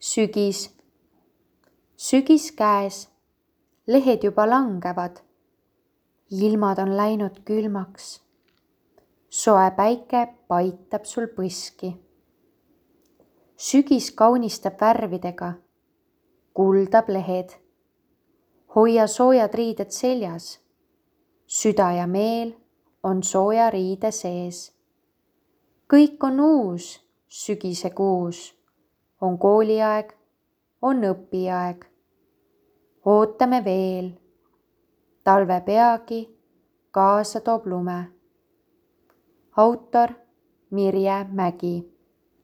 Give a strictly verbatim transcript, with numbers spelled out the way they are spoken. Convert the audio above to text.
sügis, sügis käes, lehed juba langevad, ilmad on läinud külmaks, soe päike paitab sul põski. Sügis kaunistab värvidega, kuldab lehed, hoia soojad riided seljas, süda ja meel on sooja riide sees. Kõik on uus sügisekuus, on kooliaeg, on õpiaeg. Ootame veel, talve peagi kaasa toob lume. Autor Mirje Mägi.